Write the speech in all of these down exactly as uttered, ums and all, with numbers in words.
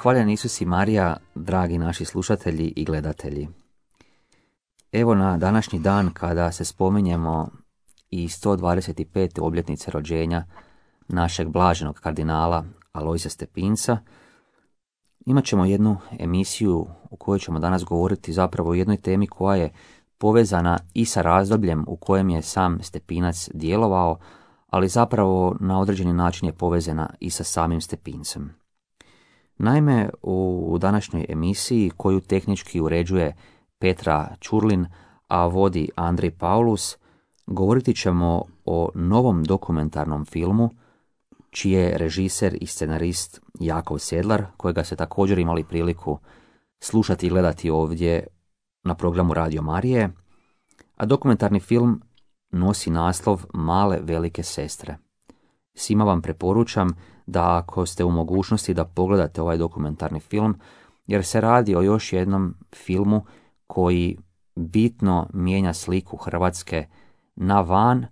Hvaljen Isus i Marija, dragi naši slušatelji i gledatelji. Evo na današnji dan kada se spominjemo i sto dvadeset pete obljetnice rođenja našeg blaženog kardinala Alojzija Stepinca, imat ćemo jednu emisiju u kojoj ćemo danas govoriti zapravo o jednoj temi koja je povezana i sa razdobljem u kojem je sam Stepinac djelovao, ali zapravo na određeni način je povezana i sa samim Stepincem. Naime, u današnjoj emisiji, koju tehnički uređuje Petra Ćurlin, a vodi Andrej Paulus, govoriti ćemo o novom dokumentarnom filmu, čiji je režiser i scenarist Jakov Sedlar, kojega ste također imali priliku slušati i gledati ovdje na programu Radio Marije, a dokumentarni film nosi naslov Male velike sestre. Svima vam preporučam da ako ste u mogućnosti da pogledate ovaj dokumentarni film, jer se radi o još jednom filmu koji bitno mijenja sliku Hrvatske na van,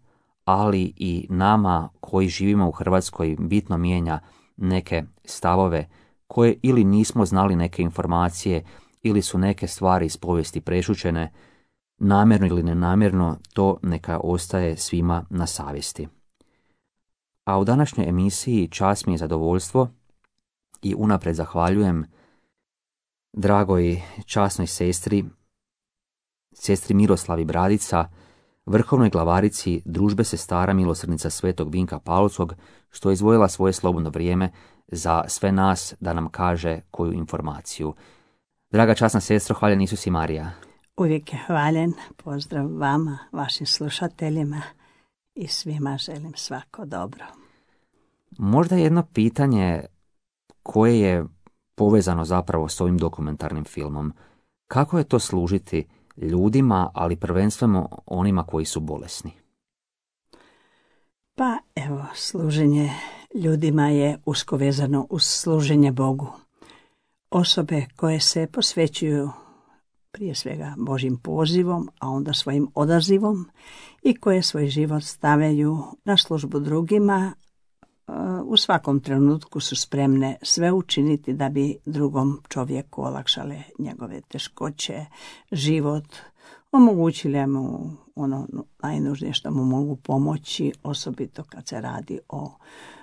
ali i nama koji živimo u Hrvatskoj bitno mijenja neke stavove koje ili nismo znali neke informacije ili su neke stvari iz povijesti prešućene, namjerno ili nenamjerno, to neka ostaje svima na savjesti. A u današnjoj emisiji čast mi je zadovoljstvo i unaprijed zahvaljujem dragoj časnoj sestri, sestri Miroslavi Bradica, vrhovnoj glavarici Družbe sestara milosrdnica Svetog Vinka Paulskog, što je izdvojila svoje slobodno vrijeme za sve nas da nam kaže koju informaciju. Draga časna sestro, hvaljen Isus i Marija. Uvijek je hvaljen. Pozdrav vama, vašim slušateljima i svima želim svako dobro. Možda jedno pitanje koje je povezano zapravo s ovim dokumentarnim filmom. Kako je to služiti ljudima, ali prvenstveno onima koji su bolesni? Pa evo, služenje ljudima je usko vezano uz služenje Bogu. Osobe koje se posvećuju prije svega Božjim pozivom, a onda svojim odazivom i koje svoj život stavljaju na službu drugima, u svakom trenutku su spremne sve učiniti da bi drugom čovjeku olakšale njegove teškoće, život, omogućile mu ono najnužnije što mu mogu pomoći, osobito kad se radi o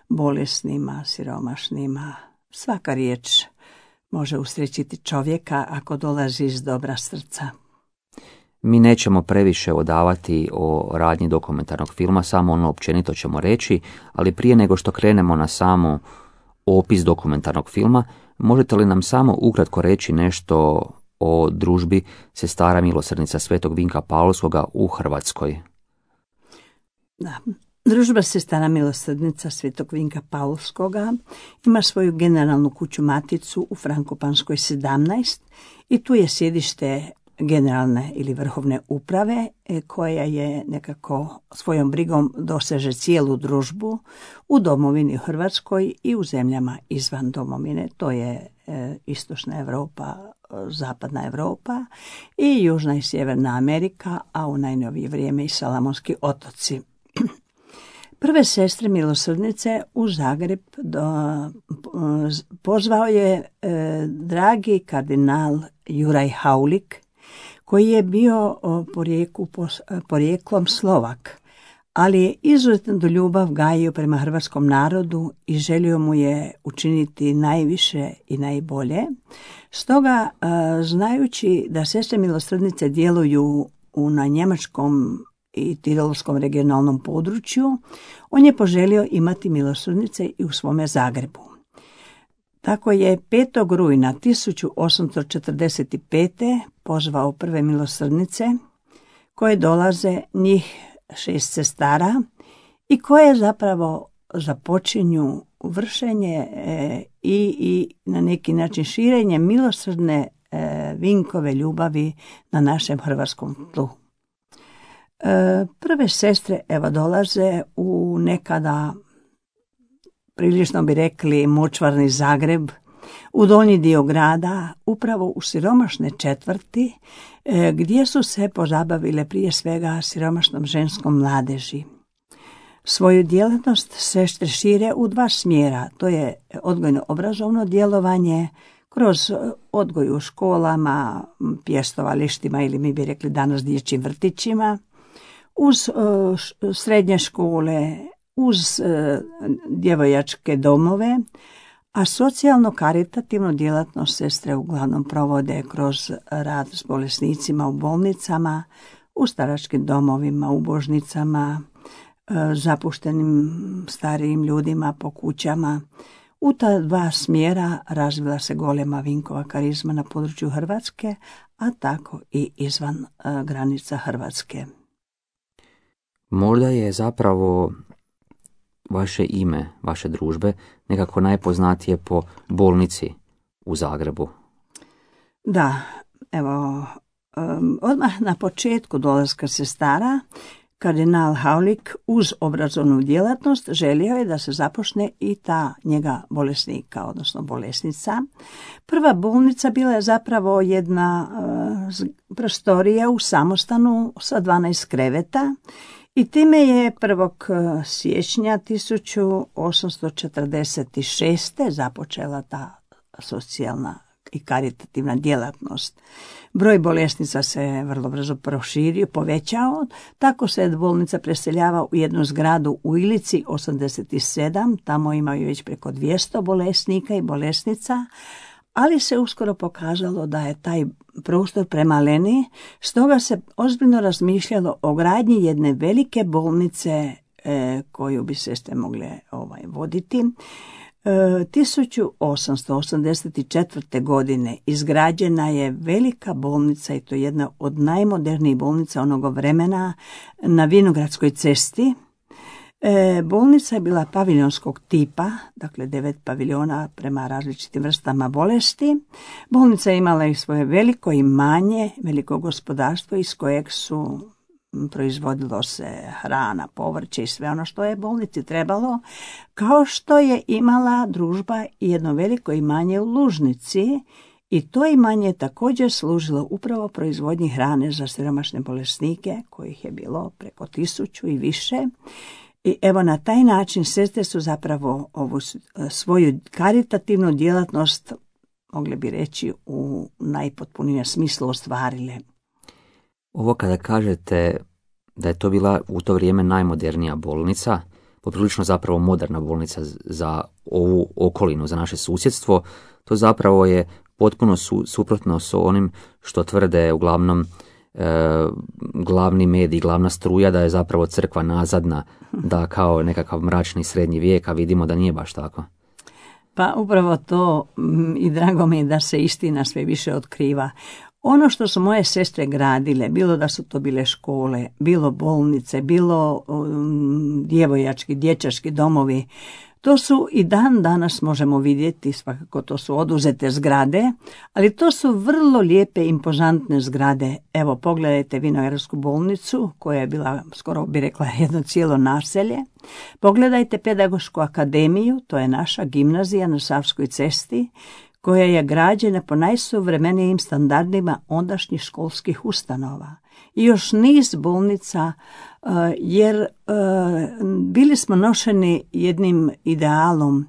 bolesnima, siromašnima. Svaka riječ može usrećiti čovjeka ako dolazi iz dobra srca. Mi nećemo previše odavati o radnji dokumentarnog filma, samo ono općenito ćemo reći, ali prije nego što krenemo na samo opis dokumentarnog filma, možete li nam samo ukratko reći nešto o Družbi sestara milosrdnica Svetog Vinka Paulskoga u Hrvatskoj? Da. Družba sestara milosrdnica Svetog Vinka Paulskoga ima svoju generalnu kuću maticu u Frankopanskoj sedamnaest i tu je sjedište generalne ili vrhovne uprave koja je nekako svojom brigom doseže cijelu družbu u domovini Hrvatskoj i u zemljama izvan domovine. To je e, istočna Europa, zapadna Europa i južna i sjeverna Amerika, a u najnovije vrijeme i Salamonski otoci. Prve sestre milosrdnice u Zagreb do, pozvao je e, dragi kardinal Juraj Haulik, koji je bio porijeklu, porijeklom Slovak, ali je izuzetnu ljubav gajio prema hrvatskom narodu i želio mu je učiniti najviše i najbolje. Stoga, znajući da sestre milosrdnice djeluju u, na njemačkom i tirolskom regionalnom području, on je poželio imati milosrdnice i u svome Zagrebu. Tako je petog rujna tisuću osamsto četrdeset pete pozvao prve milosrdnice koje dolaze, njih šest sestara, i koje zapravo započinju vršenje e, i, i na neki način širenje milosrdne e, Vinkove ljubavi na našem hrvatskom tlu. E, prve sestre evo dolaze u nekada, prilično bi rekli, močvarni Zagreb, u donji dio grada, upravo u siromašne četvrti, e, gdje su se pozabavile prije svega siromašnom ženskom mladeži. Svoju djelatnost sestre šire u dva smjera, to je odgojno-obrazovno djelovanje kroz odgoj u školama, pjestovalištima ili mi bi rekli danas dječjim vrtićima, uz uh, srednje škole, uz uh, djevojačke domove, a socijalno-karitativnu djelatnost sestre uglavnom provode kroz rad s bolesnicima u bolnicama, u staračkim domovima, u božnicama, uh, zapuštenim starijim ljudima po kućama. U ta dva smjera razvila se golema Vinkova karizma na području Hrvatske, a tako i izvan uh, granica Hrvatske. Možda je zapravo vaše ime, vaše družbe, nekako najpoznatije po bolnici u Zagrebu. Da, evo, um, odmah na početku dolaska sestara, kardinal Haulik uz obrazovnu djelatnost želio je da se započne i ta njega bolesnika, odnosno bolesnica. Prva bolnica bila je zapravo jedna uh, prostorija u samostanu sa dvanaest kreveta, i time je prvog siječnja tisuću osamsto četrdeset šeste. započela ta socijalna i karitativna djelatnost. Broj bolesnica se vrlo brzo proširio, povećao, tako se bolnica preseljava u jednu zgradu u Ilici osamdeset sedam, tamo imaju već preko dvjesto bolesnika i bolesnica, ali se uskoro pokazalo da je taj prostor premaleni, stoga se ozbiljno razmišljalo o gradnji jedne velike bolnice e, koju bi sestre mogle ovaj, voditi. E, tisuću osamsto osamdeset četvrte. godine izgrađena je velika bolnica, i to jedna od najmodernijih bolnica onoga vremena, na Vinogradskoj cesti. E, bolnica je bila paviljonskog tipa, dakle devet paviljona prema različitim vrstama bolesti. Bolnica je imala i svoje veliko imanje, veliko gospodarstvo iz kojeg su proizvodilo se hrana, povrće i sve ono što je bolnici trebalo, kao što je imala družba i jedno veliko imanje u Lužnici, i to imanje je također služilo upravo proizvodnji hrane za siromašne bolesnike, kojih je bilo preko tisuću i više. I evo na taj način sestre su zapravo ovu svoju karitativnu djelatnost, mogli bi reći, u najpotpunijem smislu ostvarile. Ovo kada kažete da je to bila u to vrijeme najmodernija bolnica, poprilično zapravo moderna bolnica za ovu okolinu, za naše susjedstvo, to zapravo je potpuno su, suprotno s onim što tvrde uglavnom E, glavni medij, glavna struja, da je zapravo crkva nazadna, da kao nekakav mračni srednji vijek, a vidimo da nije baš tako. Pa upravo to, i drago mi je da se istina sve više otkriva. Ono što su moje sestre gradile, bilo da su to bile škole, bilo bolnice, bilo um, djevojački, dječački domovi, to su i dan danas možemo vidjeti, svakako to su oduzete zgrade, ali to su vrlo lijepe, impozantne zgrade. Evo, pogledajte Vinogradsku bolnicu, koja je bila, skoro bi rekla, jedno cijelo naselje. Pogledajte Pedagošku akademiju, to je naša gimnazija na Savskoj cesti, koja je građena po najsuvremenijim standardima ondašnjih školskih ustanova. I još niz bolnica, jer bili smo nošeni jednim idealom.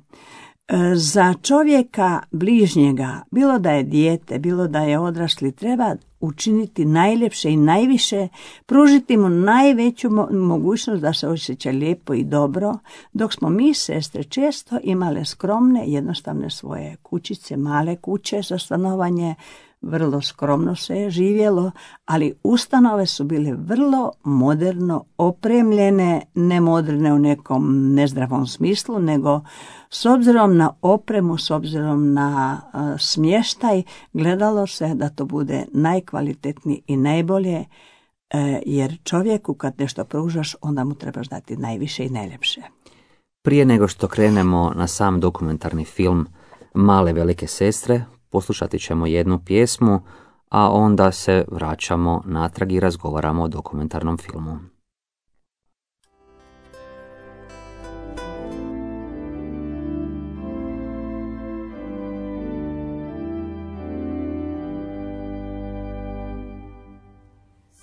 Za čovjeka bližnjega, bilo da je dijete, bilo da je odrasli, treba učiniti najljepše i najviše, pružiti mu najveću mogućnost da se osjeća lijepo i dobro, dok smo mi, sestre, često imale skromne, jednostavne svoje kućice, male kuće za stanovanje, vrlo skromno se je živjelo, ali ustanove su bile vrlo moderno opremljene, ne moderne u nekom nezdravom smislu, nego s obzirom na opremu, s obzirom na uh, smještaj, gledalo se da to bude najkvalitetniji i najbolje, uh, jer čovjeku kad nešto pružaš, onda mu trebaš dati najviše i najljepše. Prije nego što krenemo na sam dokumentarni film Male velike sestre, poslušati ćemo jednu pjesmu, a onda se vraćamo natrag i razgovaramo o dokumentarnom filmu.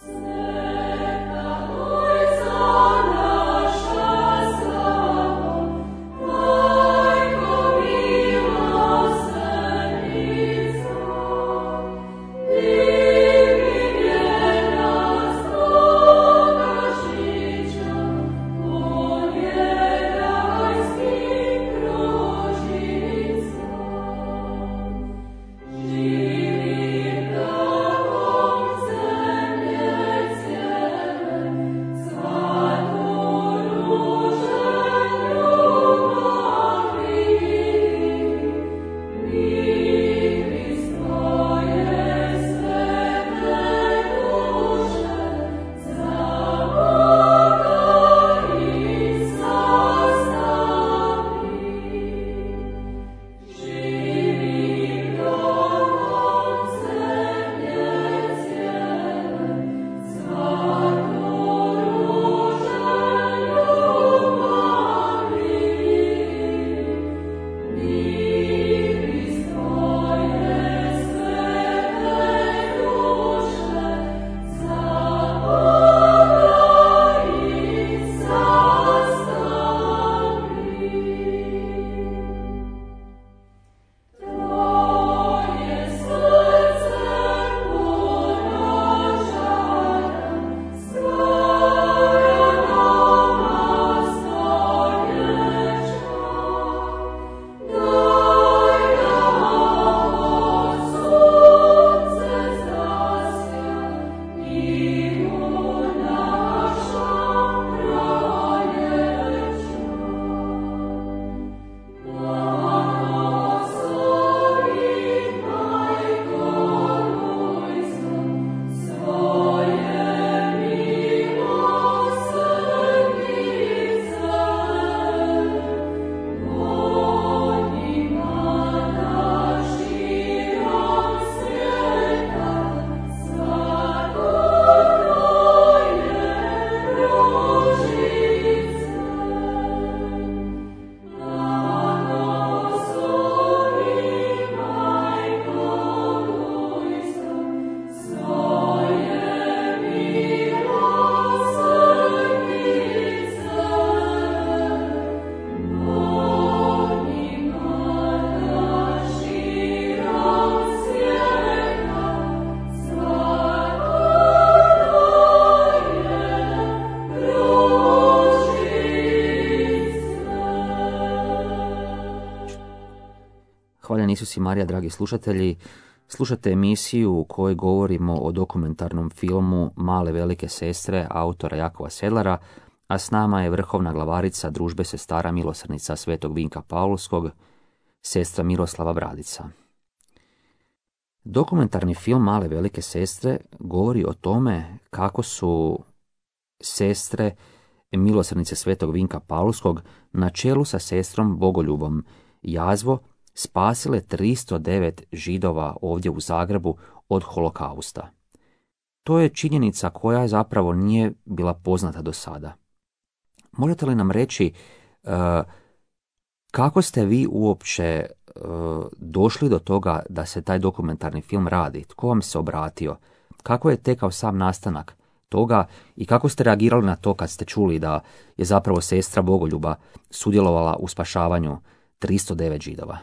Thank you. Gospodine Isus i Marija, dragi slušatelji, slušate emisiju u kojoj govorimo o dokumentarnom filmu Male velike sestre autora Jakova Sedlara, a s nama je vrhovna glavarica Družbe sestara milosrdnica Svetog Vinka Paulskog, sestra Miroslava Bradica. Dokumentarni film Male velike sestre govori o tome kako su sestre milosrdnice Svetog Vinka Paulskog na čelu sa sestrom Bogoljubom Jazvo spasile tristo devet Židova ovdje u Zagrebu od holokausta. To je činjenica koja zapravo nije bila poznata do sada. Možete li nam reći uh, kako ste vi uopće uh, došli do toga da se taj dokumentarni film radi? Tko vam se obratio? Kako je tekao sam nastanak toga i kako ste reagirali na to kad ste čuli da je zapravo sestra Bogoljuba sudjelovala u spašavanju tristo devet Židova?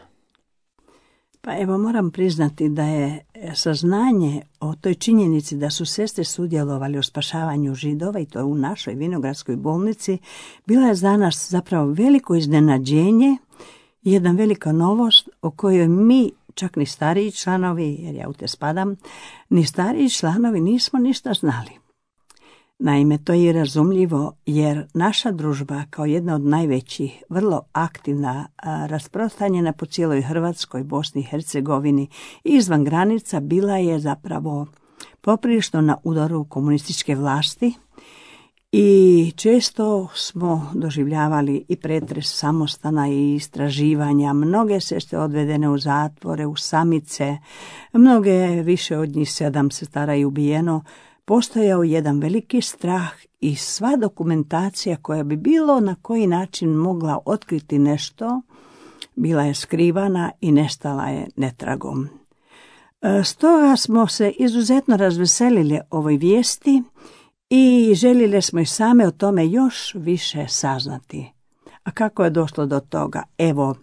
Pa evo, moram priznati da je saznanje o toj činjenici da su sestre sudjelovali u spašavanju Židova, i to u našoj Vinogradskoj bolnici, bila je za nas zapravo veliko iznenađenje, jedna velika novost o kojoj mi, čak ni stariji članovi, jer ja u te spadam, ni stariji članovi nismo ništa znali. Naime, to je razumljivo jer naša družba kao jedna od najvećih, vrlo aktivna, rasprostranjena po cijeloj Hrvatskoj, Bosni i Hercegovini i izvan granica, bila je zapravo poprilično na udaru komunističke vlasti i često smo doživljavali i pretres samostana i istraživanja. Mnoge sestre odvedene u zatvore, u samice, mnoge, više od njih sedam sestara je ubijeno. Postojao jedan veliki strah i sva dokumentacija koja bi bilo na koji način mogla otkriti nešto, bila je skrivana i nestala je netragom. Stoga smo se izuzetno razveselili ovoj vijesti i željeli smo i same o tome još više saznati. A kako je došlo do toga? Evo,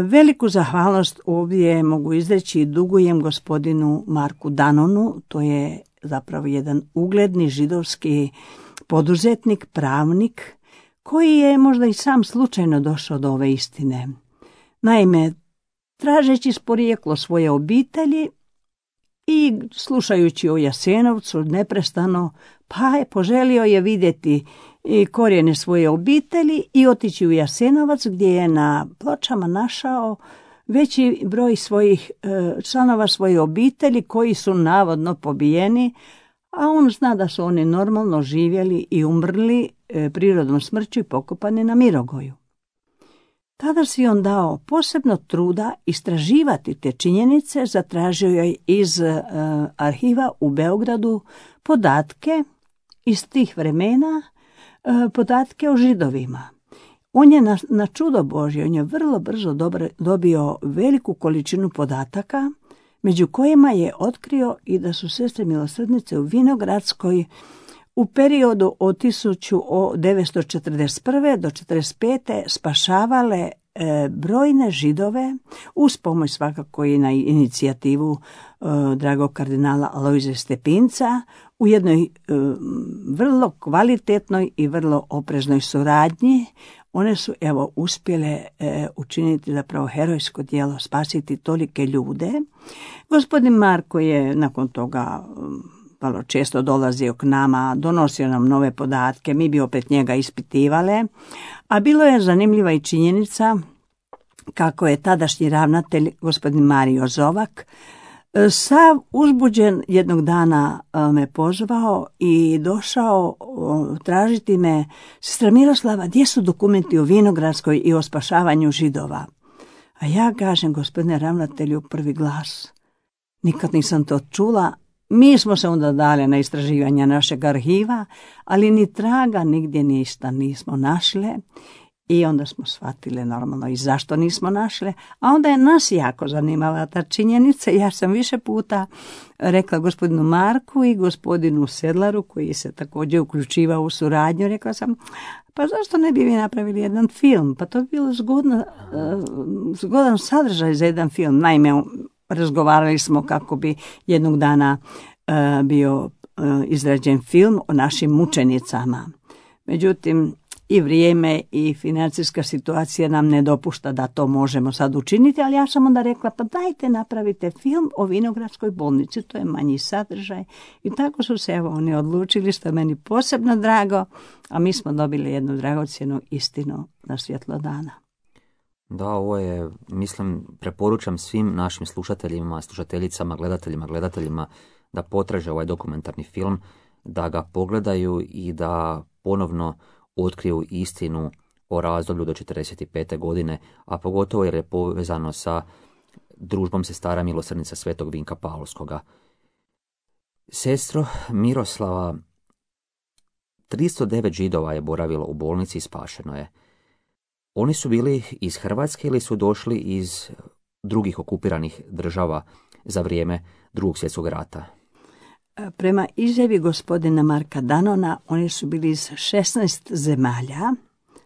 veliku zahvalnost ovdje mogu izreći i dugujem gospodinu Marku Danonu, to je zapravo jedan ugledni židovski poduzetnik, pravnik, koji je možda i sam slučajno došao do ove istine. Naime, tražeći porijeklo svoje obitelji i slušajući o Jasenovcu neprestano, pa je poželio je vidjeti i korijene svoje obitelji i otići u Jasenovac, gdje je na pločama našao veći broj svojih članova svoje obitelji koji su navodno pobijeni, a on zna da su oni normalno živjeli i umrli prirodnom smrću i pokopani na Mirogoju. Tada si on dao posebno truda istraživati te činjenice, zatražio je iz arhiva u Beogradu podatke iz tih vremena, podatke o Židovima. On je na, na čudo Božje, on je vrlo brzo dobro, dobio veliku količinu podataka, među kojima je otkrio i da su sestre milosrdnice u Vinogradskoj u periodu od tisuću devetsto četrdeset prve do četrdeset pete spašavale e, brojne Židove, uz pomoć svakako i na inicijativu e, dragog kardinala Alojzija Stepinca, u jednoj e, vrlo kvalitetnoj i vrlo opreznoj suradnji. One su evo uspjele e, učiniti zapravo herojsko djelo, spasiti tolike ljude. Gospodin Marko je nakon toga vrlo često dolazio k nama, donosio nam nove podatke, mi bi opet njega ispitivale, a bilo je zanimljiva i činjenica kako je tadašnji ravnatelj, gospodin Mario Zovak, sav uzbuđen jednog dana me pozvao i došao tražiti me: sestra Miroslava, gdje su dokumenti o Vinogradskoj i o spašavanju Židova? A ja kažem: gospodine ravnatelju, prvi glas, nikad nisam to čula. Mi smo se onda dali na istraživanja našeg arhiva, ali ni traga nigdje ništa nismo našle. I onda smo shvatili normalno i zašto nismo našle, a onda je nas jako zanimala ta činjenica. Ja sam više puta rekla gospodinu Marku i gospodinu Sedlaru, koji se također uključivao u suradnju, rekla sam: pa zašto ne bi vi napravili jedan film? Pa to bi bilo zgodno, zgodan sadržaj za jedan film. Naime, razgovarali smo kako bi jednog dana bio izrađen film o našim mučenicama. Međutim, i vrijeme i financijska situacija nam ne dopušta da to možemo sad učiniti, ali ja sam onda rekla, pa dajte napravite film o Vinogradskoj bolnici, to je manji sadržaj. I tako su se evo oni odlučili, što je meni posebno drago, a mi smo dobili jednu dragocjenu istinu na svjetlo dana. Da, ovo je, mislim, preporučam svim našim slušateljima, slušateljicama, gledateljima, gledateljima da potraže ovaj dokumentarni film, da ga pogledaju i da ponovno otkriju istinu o razdoblju do četrdeset pete godine, a pogotovo jer je povezano sa družbom sestara milosrdnica Svetog Vinka Paulskoga. Sestro Miroslava, tristo devet Židova je boravilo u bolnici i spašeno je. Oni su bili iz Hrvatske ili su došli iz drugih okupiranih država za vrijeme Drugog svjetskog rata? Prema izjavi gospodina Marka Danona, oni su bili iz šesnaest zemalja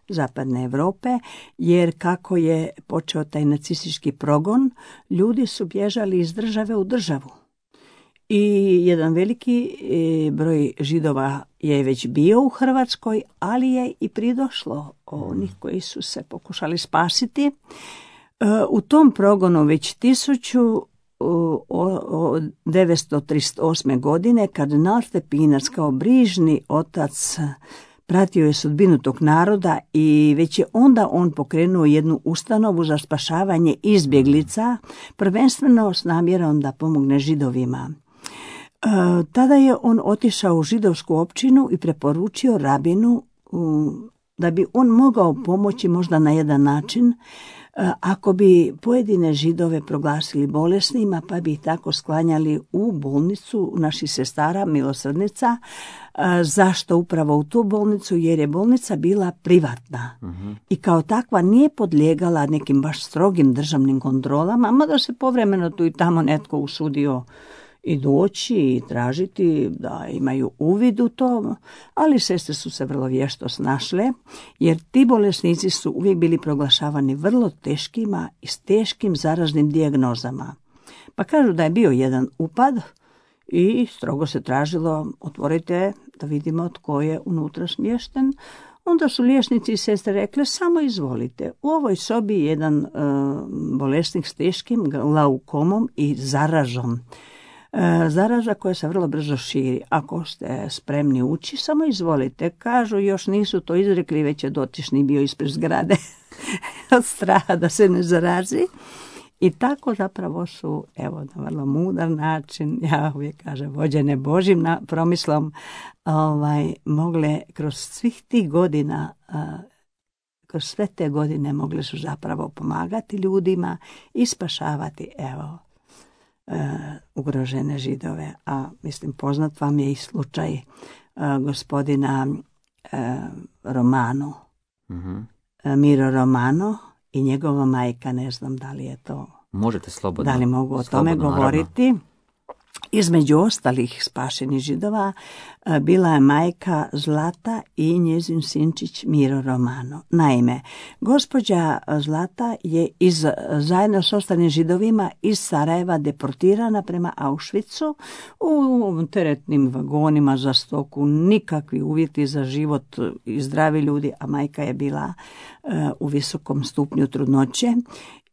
Zapadne Europe, jer kako je počeo taj nacistički progon, ljudi su bježali iz države u državu. I jedan veliki broj Židova je već bio u Hrvatskoj, ali je i pridošlo onih koji su se pokušali spasiti. U tom progonu već tisuću devetsto trideset osme. godine, kardinal Stepinac kao brižni otac pratio je sudbinu tog naroda i već je onda on pokrenuo jednu ustanovu za spašavanje izbjeglica, prvenstveno s namjerom da pomogne Židovima. E, tada je on otišao u židovsku općinu i preporučio rabinu um, da bi on mogao pomoći možda na jedan način ako bi pojedine Židove proglasili bolesnima, pa bi ih tako sklanjali u bolnicu naših sestara milosrdnica. Zašto upravo u tu bolnicu? Jer je bolnica bila privatna uh-huh. i kao takva nije podlijegala nekim baš strogim državnim kontrolama, mada se povremeno tu i tamo netko usudio i doći i tražiti da imaju uvid u to, ali sestre su se vrlo vješto snašle, jer ti bolesnici su uvijek bili proglašavani vrlo teškima i s teškim zaraznim dijagnozama. Pa kažu da je bio jedan upad i strogo se tražilo, otvorite da vidimo tko je unutra smješten. Onda su liječnici i sestre rekle, samo izvolite, u ovoj sobi je jedan uh, bolesnik s teškim glaukomom i zaražom. Zaraza koja se vrlo brzo širi. Ako ste spremni ući, samo izvolite. Kažu, još nisu to izrekli, već je dotični bio ispred zgrade od straha da se ne zarazi. I tako zapravo su, evo, na vrlo mudar način, ja uvijek kažem, vođene Božjim na, promislom, ovaj, mogle kroz svih tih godina, a, kroz sve te godine mogle su zapravo pomagati ljudima i spašavati, evo, Uh, ugrožene Židove. A mislim, poznat vam je i slučaj uh, gospodina uh, Romano, uh-huh. uh, Miro Romano i njegova majka, ne znam da li je to... Možete slobodno. Da li mogu o tome govoriti? Naravno. Između ostalih spašenih Židova bila je majka Zlata i njezin sinčić Miro Romano. Naime, gospođa Zlata je iz, zajedno s ostalim Židovima iz Sarajeva deportirana prema Auschwitzu u teretnim vagonima za stoku, nikakvi uvjeti za život i zdravi ljudi, a majka je bila uh, u visokom stupnju trudnoće.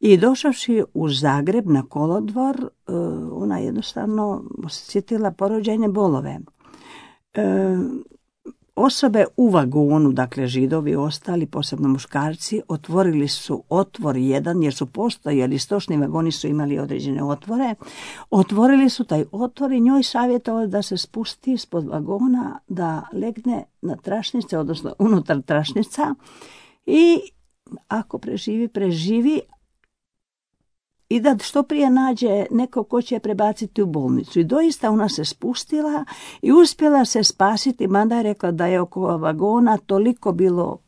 I došavši u Zagreb na kolodvor, ona jednostavno osjetila porođajne bolove. E, osobe u vagonu, dakle Židovi ostali, posebno muškarci, otvorili su otvor jedan, jer su postojali, stočni vagoni su imali određene otvore, otvorili su taj otvor i njoj savjetovali da se spusti ispod vagona, da legne na tračnice, odnosno unutar tračnica i ako preživi, preživi, i da što prije nađe neko ko će je prebaciti u bolnicu. I doista ona se spustila i uspjela se spasiti, mada je rekla da je oko vagona toliko bilo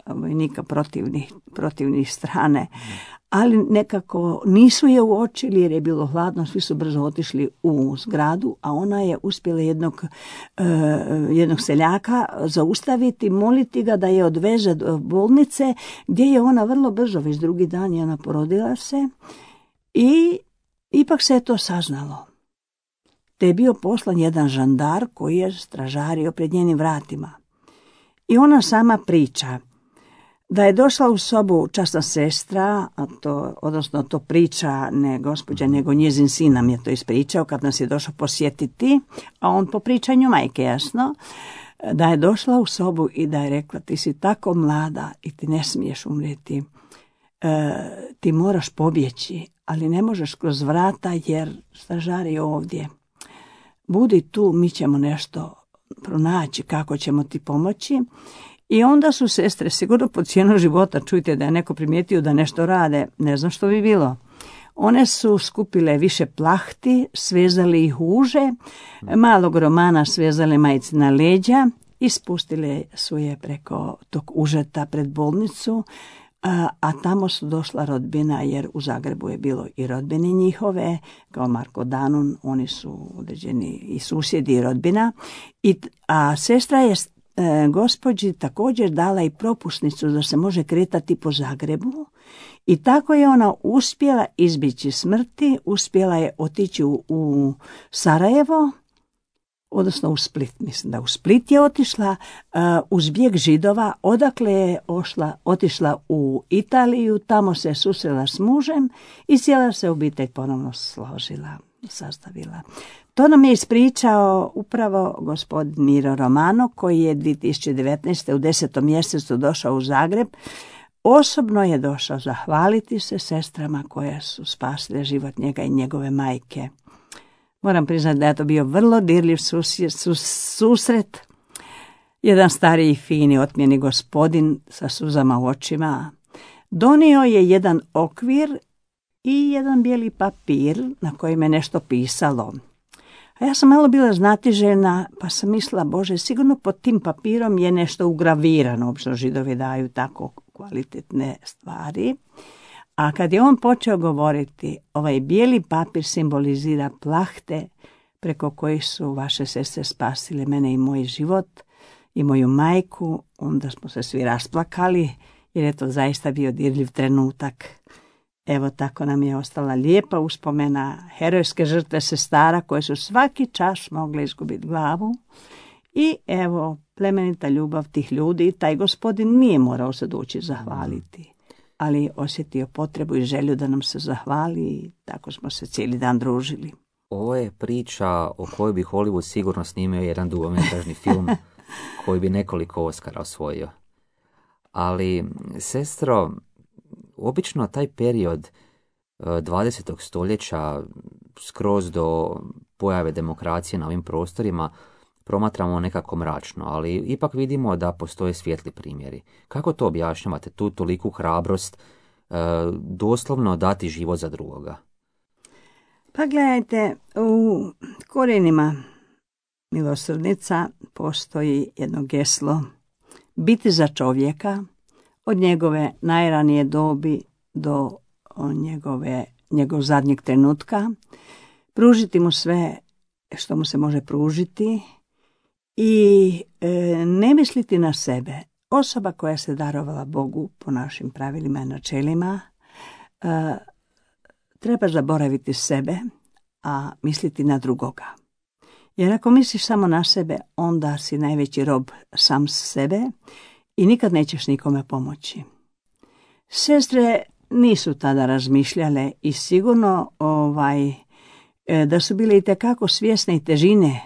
vojnika protivnih, protivnih strane, ali nekako nisu je uočili jer je bilo hladno, svi su brzo otišli u zgradu, a ona je uspjela jednog, uh, jednog seljaka zaustaviti, moliti ga da je odveze do bolnice, gdje je ona vrlo brzo, već drugi dan je ona porodila se i ipak se je to saznalo. Te je bio poslan jedan žandar koji je stražario pred njenim vratima. I ona sama priča da je došla u sobu časna sestra, a to, odnosno to priča ne gospođa, nego njezin sin nam je to ispričao kad nas je došao posjetiti, a on po pričanju majke, jasno, da je došla u sobu i da je rekla: ti si tako mlada i ti ne smiješ umrijeti, e, ti moraš pobjeći, ali ne možeš kroz vrata jer stražar je ovdje. Budi tu, mi ćemo nešto pronaći kako ćemo ti pomoći. I onda su sestre, sigurno po cijenu života, čujte da je neko primijetio da nešto rade, ne znam što bi bilo. One su skupile više plahti, svezali ih u uže, malog Romana svezali majici na leđa i spustile su je preko tog užeta pred bolnicu, a, a tamo su došla rodbina, jer u Zagrebu je bilo i rodbine njihove, kao Marko Danun, oni su određeni i susjedi i rodbina. I, a sestra je e, gospođi također dala i propusnicu da se može kretati po Zagrebu. I tako je ona uspjela izbjeći smrti, uspjela je otići u, u Sarajevo, odnosno u Split, mislim da u Split je otišla uh, uz bijeg Židova, odakle je ošla, otišla u Italiju, tamo se susrela s mužem i cijela se obitelj ponovno složila, sastavila. To nam je ispričao upravo gospodin Miro Romano, koji je dvije tisuće devetnaeste. u desetom mjesecu došao u Zagreb. Osobno je došao zahvaliti se sestrama koje su spasile život njega i njegove majke. Moram priznati da je to bio vrlo dirljiv susjet, sus, susret. Jedan stariji, fini, otmjeni gospodin sa suzama u očima donio je jedan okvir i jedan bijeli papir na kojem je nešto pisalo. A ja sam malo bila znatiželjna, pa sam mislila: Bože, sigurno pod tim papirom je nešto ugravirano, obično Židovi daju tako kvalitetne stvari. A kad je on počeo govoriti, ovaj bijeli papir simbolizira plahte preko kojih su vaše sestre spasile mene i moj život i moju majku, onda smo se svi rasplakali, jer je to zaista bio dirljiv trenutak. Evo, tako nam je ostala lijepa uspomena herojske žrtve sestara koje su svaki čas mogle izgubiti glavu. I evo, plemenita ljubav tih ljudi. Taj gospodin nije morao se doći zahvaliti, ali osjetio potrebu i želju da nam se zahvali i tako smo se cijeli dan družili. Ovo je priča o kojoj bi Hollywood sigurno snimio jedan dugometražni film koji bi nekoliko Oscara osvojio. Ali, sestro, obično taj period dvadesetog stoljeća skroz do pojave demokracije na ovim prostorima promatramo nekako mračno, ali ipak vidimo da postoje svijetli primjeri. Kako to objašnjavate, tu toliku hrabrost, e, doslovno dati život za drugoga? Pa gledajte, u korijenima milosrdnica postoji jedno geslo: biti za čovjeka od njegove najranije dobi do njegove, njegov zadnjeg trenutka, pružiti mu sve što mu se može pružiti i e, ne misliti na sebe. Osoba koja se darovala Bogu po našim pravilima i načelima e, treba zaboraviti sebe, a misliti na drugoga. Jer ako misliš samo na sebe, onda si najveći rob sam sebe i nikad nećeš nikome pomoći. Sestre nisu tada razmišljale i sigurno ovaj, da su bile itekako svjesne i težine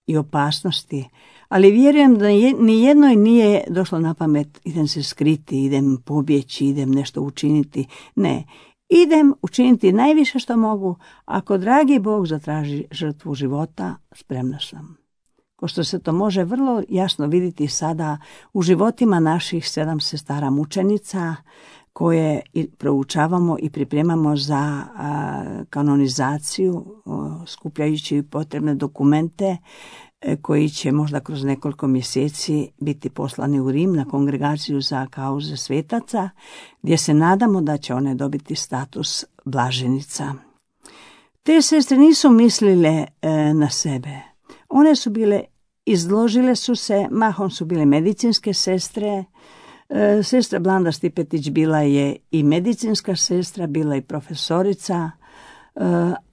i opasnosti, ali vjerujem da ni jednoj nije došlo na pamet: idem se skriti, idem pobjeći, idem nešto učiniti. Ne, idem učiniti najviše što mogu. Ako dragi Bog zatraži žrtvu života, spremna sam. Ko što se to može vrlo jasno vidjeti sada u životima naših sedam sestara mučenica, koje proučavamo i pripremamo za a, kanonizaciju, o, skupljajući potrebne dokumente e, koji će možda kroz nekoliko mjeseci biti poslani u Rim na kongregaciju za kauze svetaca, gdje se nadamo da će one dobiti status blaženicama. Te sestre nisu mislile e, na sebe. One su bile, izložile su se, mahom su bile medicinske sestre. E, sestra Blanda Stipetić bila je i medicinska sestra, bila i profesorica, e,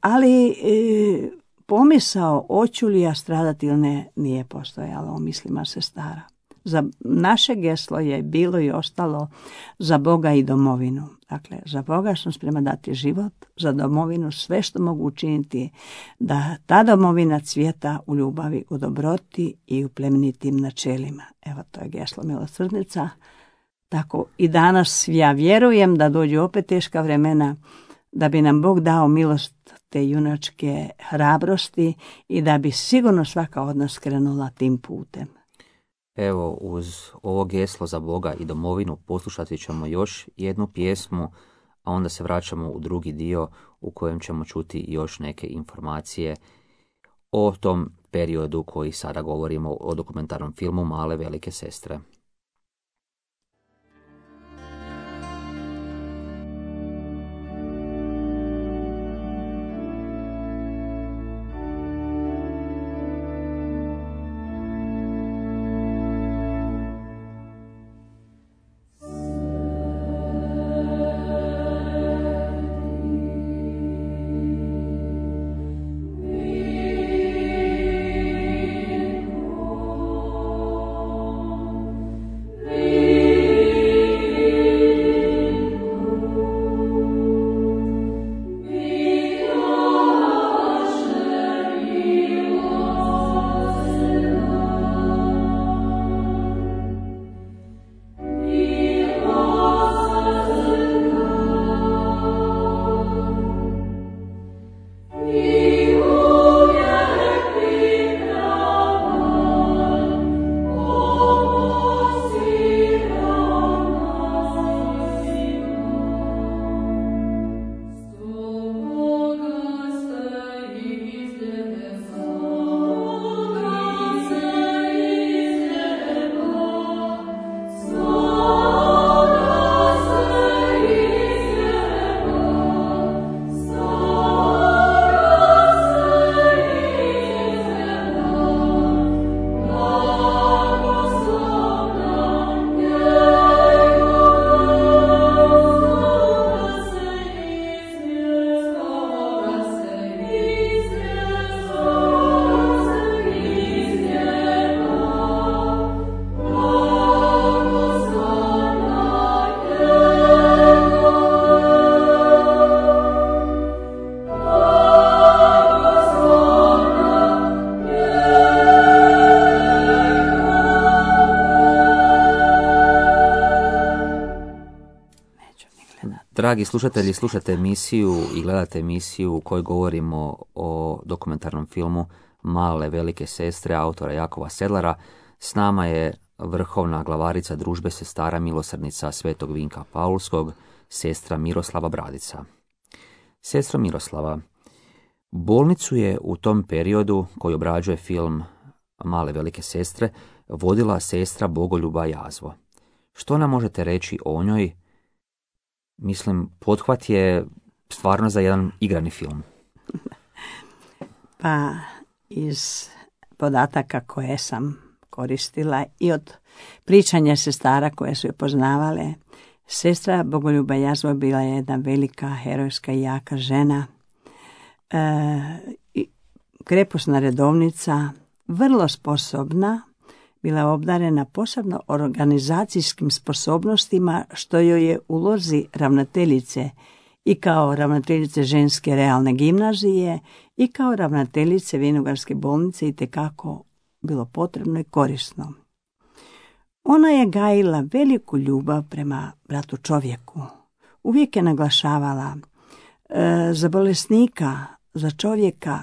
ali e, pomisao hoću li ja stradati ili ne nije postojala u mislima sestara. Za naše geslo je bilo i ostalo za Boga i domovinu. Dakle, za Boga sam sprema dati život, za domovinu sve što mogu učiniti da ta domovina cvjeta u ljubavi, u dobroti i u plemenitim načelima. Evo, to je geslo milosrdnica. Tako i danas ja vjerujem da dođu opet teška vremena, da bi nam Bog dao milost te junačke hrabrosti i da bi sigurno svaka od nas krenula tim putem. Evo, uz ovo geslo za Boga i domovinu poslušati ćemo još jednu pjesmu, a onda se vraćamo u drugi dio u kojem ćemo čuti još neke informacije o tom periodu koji sada govorimo o dokumentarnom filmu Male velike sestre. Dragi slušatelji, slušate emisiju i gledate emisiju u kojoj govorimo o dokumentarnom filmu Male velike sestre autora Jakova Sedlara. S nama je vrhovna glavarica družbe sestara milosrdnica Svetog Vinka Paulskog, sestra Miroslava Bradica. Sestra Miroslava, bolnicu je u tom periodu koji obrađuje film Male velike sestre vodila sestra Bogoljuba Jazvo. Što nam možete reći o njoj? Mislim, pothvat je stvarno za jedan igrani film. Pa, iz podataka koje sam koristila i od pričanja sestara koje su je poznavale, sestra Bogoljuba Jazvo bila je jedna velika, herojska i jaka žena, e, krepusna redovnica, vrlo sposobna, bila obdarena posebno organizacijskim sposobnostima, što joj je u ulozi ravnateljice i kao ravnateljice ženske realne gimnazije i kao ravnateljice Vinogarske bolnice itekako bilo potrebno i korisno. Ona je gajila veliku ljubav prema bratu čovjeku. Uvijek je naglašavala e, za bolesnika, za čovjeka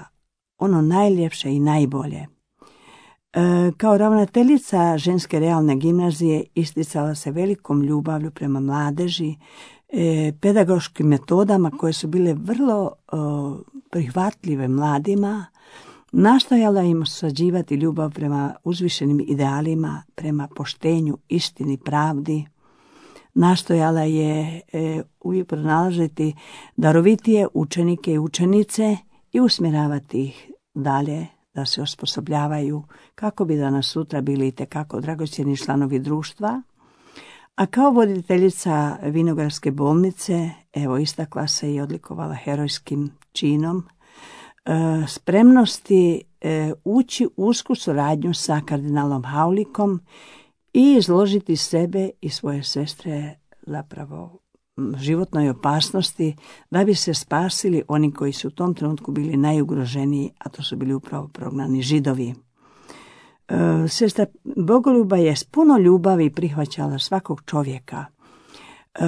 ono najljepše i najbolje. Kao ravnateljica ženske realne gimnazije isticala se velikom ljubavlju prema mladeži, pedagoškim metodama koje su bile vrlo prihvatljive mladima, nastojala im sađivati ljubav prema uzvišenim idealima, prema poštenju, istini, pravdi. Nastojala je uvijek pronalaziti darovitije učenike i učenice i usmjeravati ih dalje da se osposobljavaju kako bi danas sutra bili itekako dragocjeni članovi društva. A kao voditeljica Vinogradske bolnice, evo, istakla se i odlikovala herojskim činom e, spremnosti e, ući u usku suradnju sa kardinalom Haulikom i izložiti sebe i svoje sestre zapravo životnoj opasnosti da bi se spasili oni koji su u tom trenutku bili najugroženiji, a to su bili upravo prognani Židovi. E, sestra Bogoljuba je s puno ljubavi prihvaćala svakog čovjeka. E,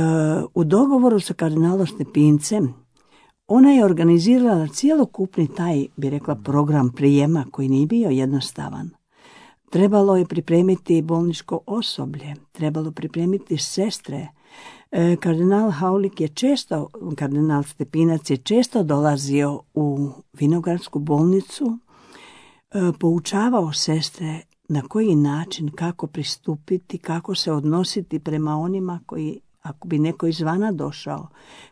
u dogovoru sa kardinalom Stepincem ona je organizirala cjelokupni taj, bi rekla, program prijema koji nije bio jednostavan. Trebalo je pripremiti bolničko osoblje, trebalo pripremiti sestre. E, kardinal Haulik je često, kardinal Stepinac je često dolazio u Vinogradsku bolnicu, e, poučavao sestre na koji način, kako pristupiti, kako se odnositi prema onima koji, ako bi neko izvana došao,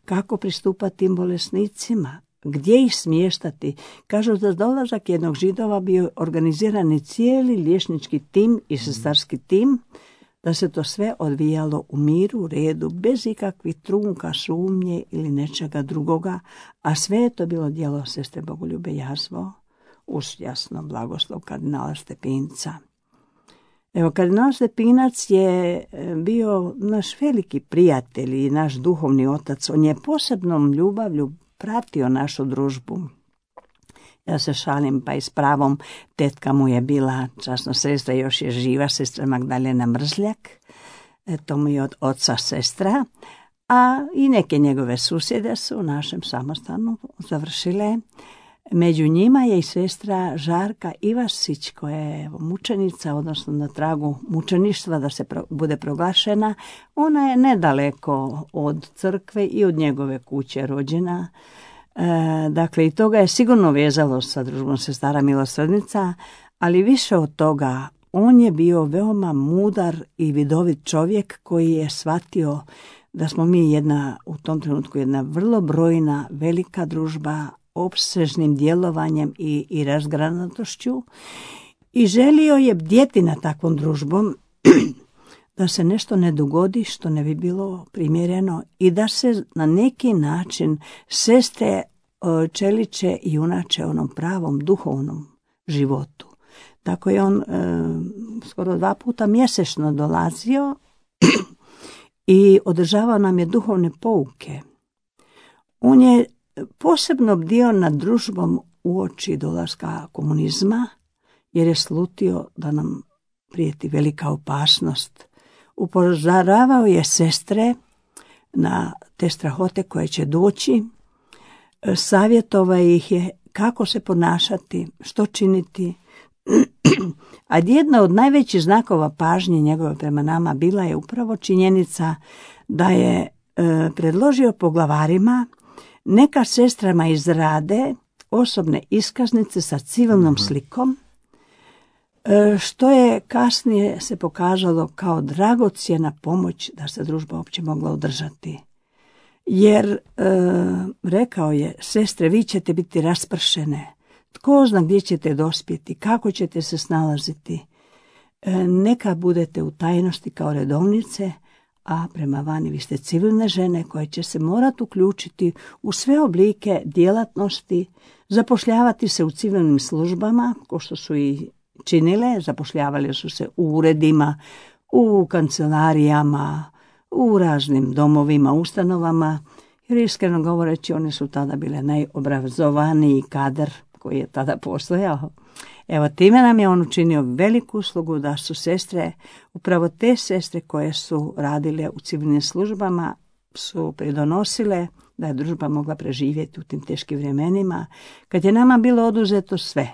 kako pristupati tim bolesnicima, gdje ih smještati. Kažu da dolazak jednog Židova bio organizirani cijeli liječnički tim i sestarski tim, da se to sve odvijalo u miru, redu, bez ikakvih trunka, sumnje ili nečega drugoga, a sve je to bilo djelo sestre Bogoljube Jazvo, uz jasno blagoslov kardinala Stepinca. Evo, kardinal Stepinac je bio naš veliki prijatelj i naš duhovni otac. On je posebnom ljubavlju pratio našu družbu. Ja se šalim, pa i s pravom, tetka mu je bila časno sestra, još je živa, sestra Magdalena Mrzljak, to mu je od oca sestra, a i neke njegove susjede su u našem samostanu završile. Među njima je i sestra Žarka Ivasić, koja je mučenica, odnosno na tragu mučeništva da se pro, bude proglašena. Ona je nedaleko od crkve i od njegove kuće rođena. E, dakle, i toga je sigurno vezalo sa družbom sestara milosrdnica, ali više od toga, on je bio veoma mudar i vidovit čovjek koji je shvatio da smo mi jedna, u tom trenutku jedna vrlo brojna, velika družba, opsežnim djelovanjem i, i razgranatošću, i želio je bdjeti na takvom družbom da se nešto ne dogodi što ne bi bilo primjereno i da se na neki način sestre čeliče i junače onom pravom duhovnom životu. Tako je on e, skoro dva puta mjesečno dolazio i održavao nam je duhovne pouke. On je posebno bdio nad družbom uoči dolaska komunizma, jer je slutio da nam prijeti velika opasnost. Upozoravao je sestre na te strahote koje će doći, savjetovao ih je kako se ponašati, što činiti. A jedna od najvećih znakova pažnje njegove prema nama bila je upravo činjenica da je e, predložio poglavarima neka sestrama izrade osobne iskaznice sa civilnom slikom, što je kasnije se pokazalo kao dragocjena pomoć da se družba uopće mogla održati. Jer, e, rekao je, sestre, vi ćete biti raspršene, tko zna gdje ćete dospjeti, kako ćete se snalaziti, e, neka budete u tajnosti kao redovnice, a prema vani vi ste civilne žene koje će se morati uključiti u sve oblike djelatnosti, zapošljavati se u civilnim službama, ko što su i činile, zapošljavali su se u uredima, u kancelarijama, u raznim domovima, ustanovama, jer iskreno govoreći one su tada bile najobrazovaniji kadar koji je tada postojao. Evo, time nam je on učinio veliku uslugu da su sestre, upravo te sestre koje su radile u civilnim službama, su pridonosile da je družba mogla preživjeti u tim teškim vremenima, kad je nama bilo oduzeto sve,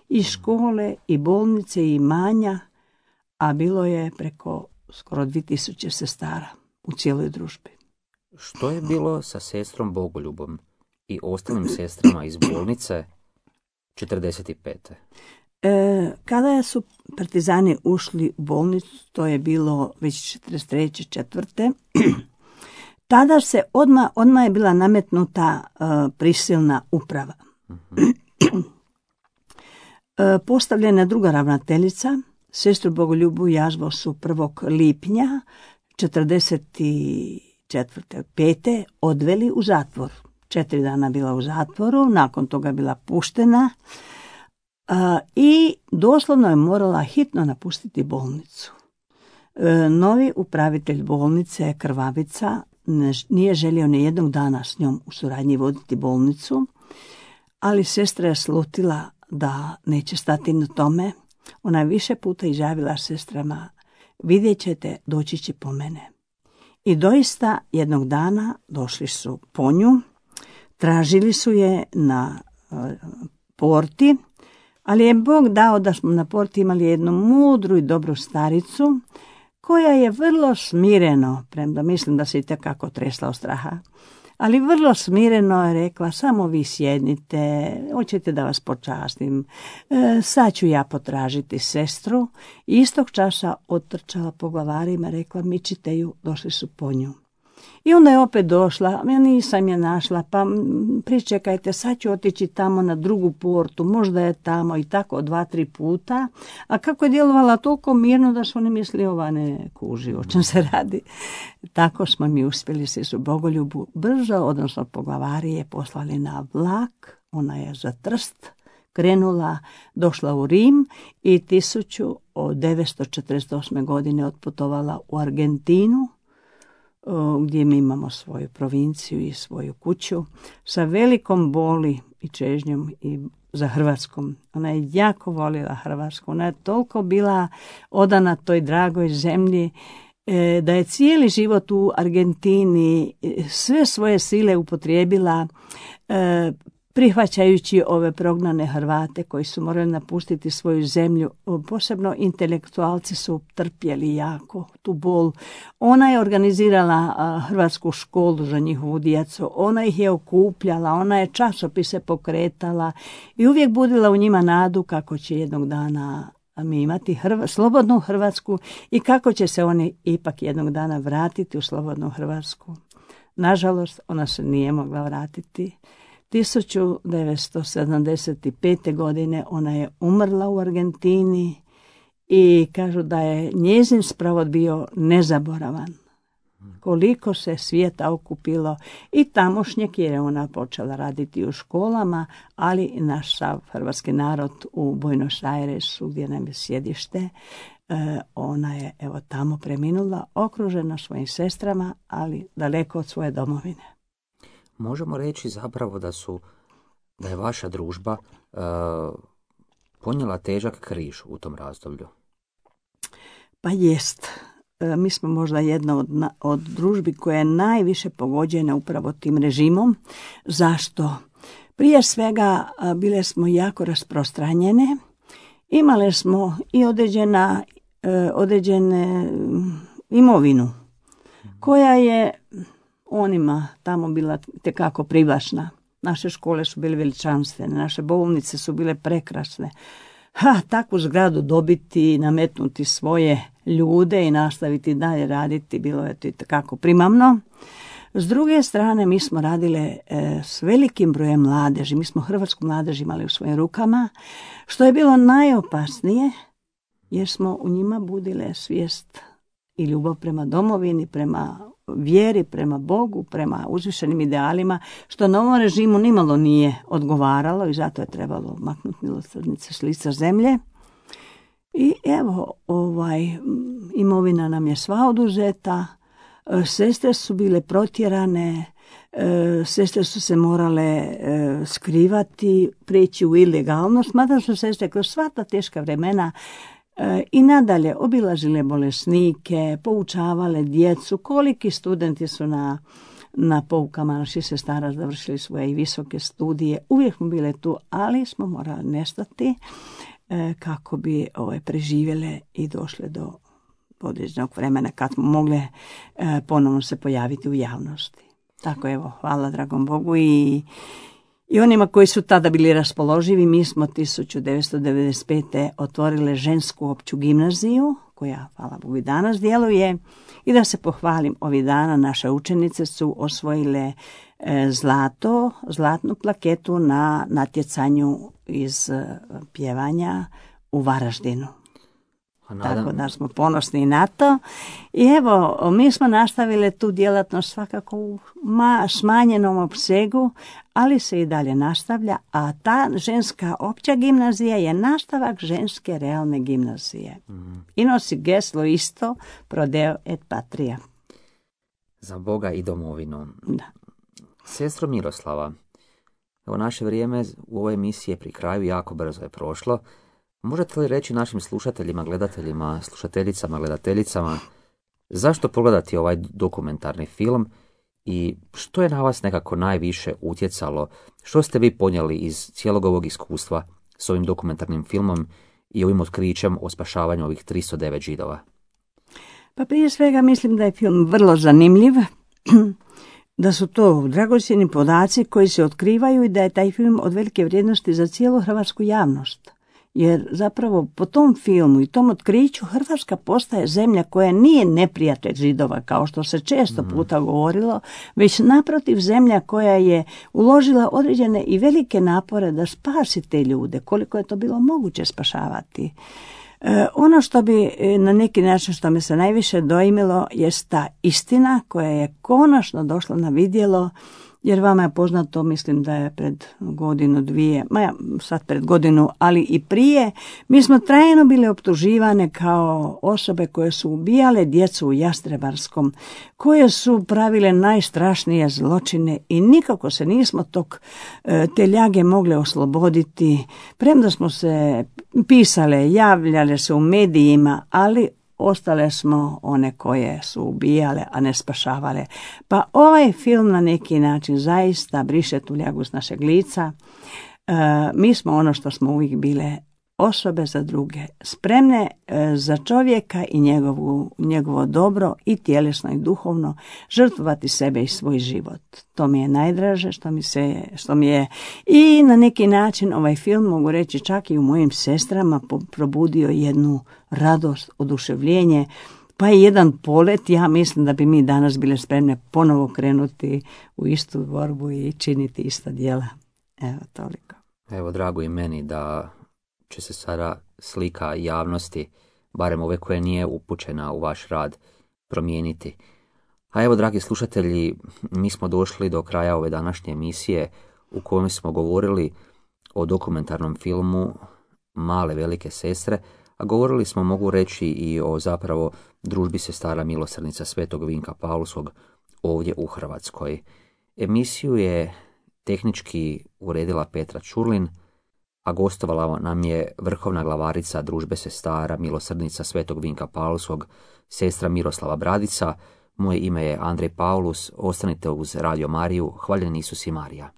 i škole, i bolnice, i imanja, a bilo je preko skoro dvije tisuće sestara u cijeloj družbi. Što je bilo sa sestrom Bogoljubom i ostalim sestrama iz bolnice četrdeset pete. E, kada su partizani ušli u bolnicu, to je bilo već četrdeset treće četvrte tada se odmah, odmah je bila nametnuta uh, prisilna uprava. Uh-huh. e, postavljena druga ravnateljica, sestru Bogoljubu Jazvo su prvog lipnja četrdeset četvrte pete odveli u zatvor. Četiri dana bila u zatvoru, nakon toga bila puštena uh, i doslovno je morala hitno napustiti bolnicu. E, novi upravitelj bolnice, Krvavica, ne, nije želio ni jednog dana s njom u suradnji voditi bolnicu, ali sestra je slutila da neće stati na tome. Ona je više puta izjavila sestrama, vidjet ćete, doći će po mene. I doista jednog dana došli su po nju, tražili su je na uh, porti, ali je Bog dao da smo na porti imali jednu mudru i dobru staricu, koja je vrlo smireno, premda mislim da se i tekako tresla od straha, ali vrlo smireno je rekla, samo vi sjednite, hoćete da vas počastim, e, sad ću ja potražiti sestru. I istog časa otrčala po glavarima, rekla, mičite ju, došli su po nju. I onda je opet došla, ja nisam je našla, pa pričekajte, sad ću otići tamo na drugu portu, možda je tamo, i tako dva, tri puta. A kako je djelovala toliko mirno da su oni mislili, ova ne kuži o čem se radi. Tako smo mi uspjeli se su Bogoljubu brzo, odnosno poglavarije, poslali na vlak, ona je za Trst krenula, došla u Rim i tisuću devetsto četrdeset osme. godine otputovala u Argentinu, gdje mi imamo svoju provinciju i svoju kuću, sa velikom boli i čežnjom i za Hrvatskom. Ona je jako volila Hrvatsku, ona je toliko bila odana toj dragoj zemlji, da je cijeli život u Argentini sve svoje sile upotrijebila prihvaćajući ove prognane Hrvate koji su morali napustiti svoju zemlju. Posebno intelektualci su trpjeli jako tu bol. Ona je organizirala hrvatsku školu za njihovu djecu, ona ih je okupljala, ona je časopise pokretala i uvijek budila u njima nadu kako će jednog dana mi imati Hrv- slobodnu Hrvatsku i kako će se oni ipak jednog dana vratiti u slobodnu Hrvatsku. Nažalost, ona se nije mogla vratiti. tisuću devetsto sedamdeset pete. godine ona je umrla u Argentini i kažu da je njezin sprovod bio nezaboravan. Koliko se svijeta okupilo i tamošnjeg, jer je ona počela raditi u školama, ali i naš sav hrvatski narod u Buenos Airesu, gdje nam je sjedište, ona je evo tamo preminula, okružena svojim sestrama, ali daleko od svoje domovine. Možemo reći zapravo da su, da je vaša družba uh, ponijela težak križ u tom razdoblju. Pa jest. E, mi smo možda jedna od, od družbi koja je najviše pogođena upravo tim režimom. Zašto? Prije svega bile smo jako rasprostranjene. Imale smo i određena, e, određene imovinu koja je onima tamo bila tekako privlačna. Naše škole su bile veličanstvene, naše bolnice su bile prekrasne. Ha, takvu zgradu dobiti, nametnuti svoje ljude i nastaviti dalje raditi, bilo je to tekako primamno. S druge strane, mi smo radile e, s velikim brojem mladeži. Mi smo hrvatsku mladež imali u svojim rukama, što je bilo najopasnije, jer smo u njima budile svijest i ljubav prema domovini, prema vjeri, prema Bogu, prema uzvišenim idealima, što novom režimu nimalo nije odgovaralo i zato je trebalo maknuti milosrdnice s lica zemlje. I evo, ovaj, imovina nam je sva oduzeta, sestre su bile protjerane, sestre su se morale skrivati, prijeći u ilegalnost, mada su sestre kroz sva ta teška vremena i nadalje obilazile bolesnike, poučavale djecu. Koliki studenti su na, na poukama naših sestara završili svoje i visoke studije. Uvijek smo bile tu, ali smo morali nestati e, kako bi ove, preživjele i došle do određenog vremena kad smo mogle e, ponovno se pojaviti u javnosti. Tako evo, hvala dragom Bogu i I onima koji su tada bili raspoloživi, mi smo tisuću devetsto devedeset pete. otvorile žensku opću gimnaziju, koja, hvala Bogu, i danas djeluje. I da se pohvalim, ovih dana naše učenice su osvojile e, zlato, zlatnu plaketu na natjecanju iz e, pjevanja u Varaždinu. Nadam... Tako da smo ponosni na to. I evo, mi smo nastavili tu djelatnost svakako u ma, smanjenom opsegu, ali se i dalje nastavlja, a ta ženska opća gimnazija je nastavak ženske realne gimnazije. Mm. I nosi geslo isto, pro Deo et patria. Za Boga i domovinu. Da. Sestro Miroslava, evo naše vrijeme u ovoj emisiji je pri kraju, jako brzo je prošlo. Možete li reći našim slušateljima, gledateljima, slušateljicama, gledateljicama, zašto pogledati ovaj dokumentarni film i što je na vas nekako najviše utjecalo, što ste vi ponijeli iz cijelog ovog iskustva s ovim dokumentarnim filmom i ovim otkrićem o spašavanju ovih tristo devet Židova? Pa prije svega mislim da je film vrlo zanimljiv, da su to dragocjeni podaci koji se otkrivaju i da je taj film od velike vrijednosti za cijelu hrvatsku javnost. Jer zapravo po tom filmu i tom otkriću Hrvatska postaje zemlja koja nije neprijatelj Židova, kao što se često puta govorilo, već naprotiv zemlja koja je uložila određene i velike napore da spasi te ljude, koliko je to bilo moguće spašavati. E, ono što bi na neki način što me se najviše dojmilo jest ta istina koja je konačno došla na vidjelo, jer vama je poznato, mislim da je pred godinu, dvije, ma ja, sad pred godinu, ali i prije, mi smo trajno bile optuživane kao osobe koje su ubijale djecu u Jastrebarskom, koje su pravile najstrašnije zločine i nikako se nismo tog, te ljage mogle osloboditi, premda smo se pisale, javljale se u medijima, ali ostale smo one koje su ubijale, a ne spašavale. Pa ovaj film na neki način zaista briše tu ljagu s našeg lica. E, mi smo ono što smo uvijek bile, osobe za druge, spremne e, za čovjeka i njegovu, njegovo dobro i tjelesno i duhovno, žrtvovati sebe i svoj život. To mi je najdraže što mi, se, što mi je i na neki način ovaj film, mogu reći čak i u mojim sestrama, probudio jednu radost, oduševljenje, pa i jedan polet. Ja mislim da bi mi danas bile spremne ponovo krenuti u istu borbu i činiti ista djela. Evo, toliko. Evo, drago i meni da će se sada slika javnosti, barem ove koje nije upućena u vaš rad, promijeniti. A evo, dragi slušatelji, mi smo došli do kraja ove današnje emisije u kojoj smo govorili o dokumentarnom filmu Male velike sestre, a govorili smo, mogu reći, i o zapravo družbi sestara milosrdnica Svetog Vinka Paulskog ovdje u Hrvatskoj. Emisiju je tehnički uredila Petra Čurlin, a gostovala nam je vrhovna glavarica družbe sestara milosrdnica Svetog Vinka Paulskog, sestra Miroslava Bradica. Moje ime je Andrej Paulus, ostanite uz Radio Mariju, hvaljeni Isus i Marija.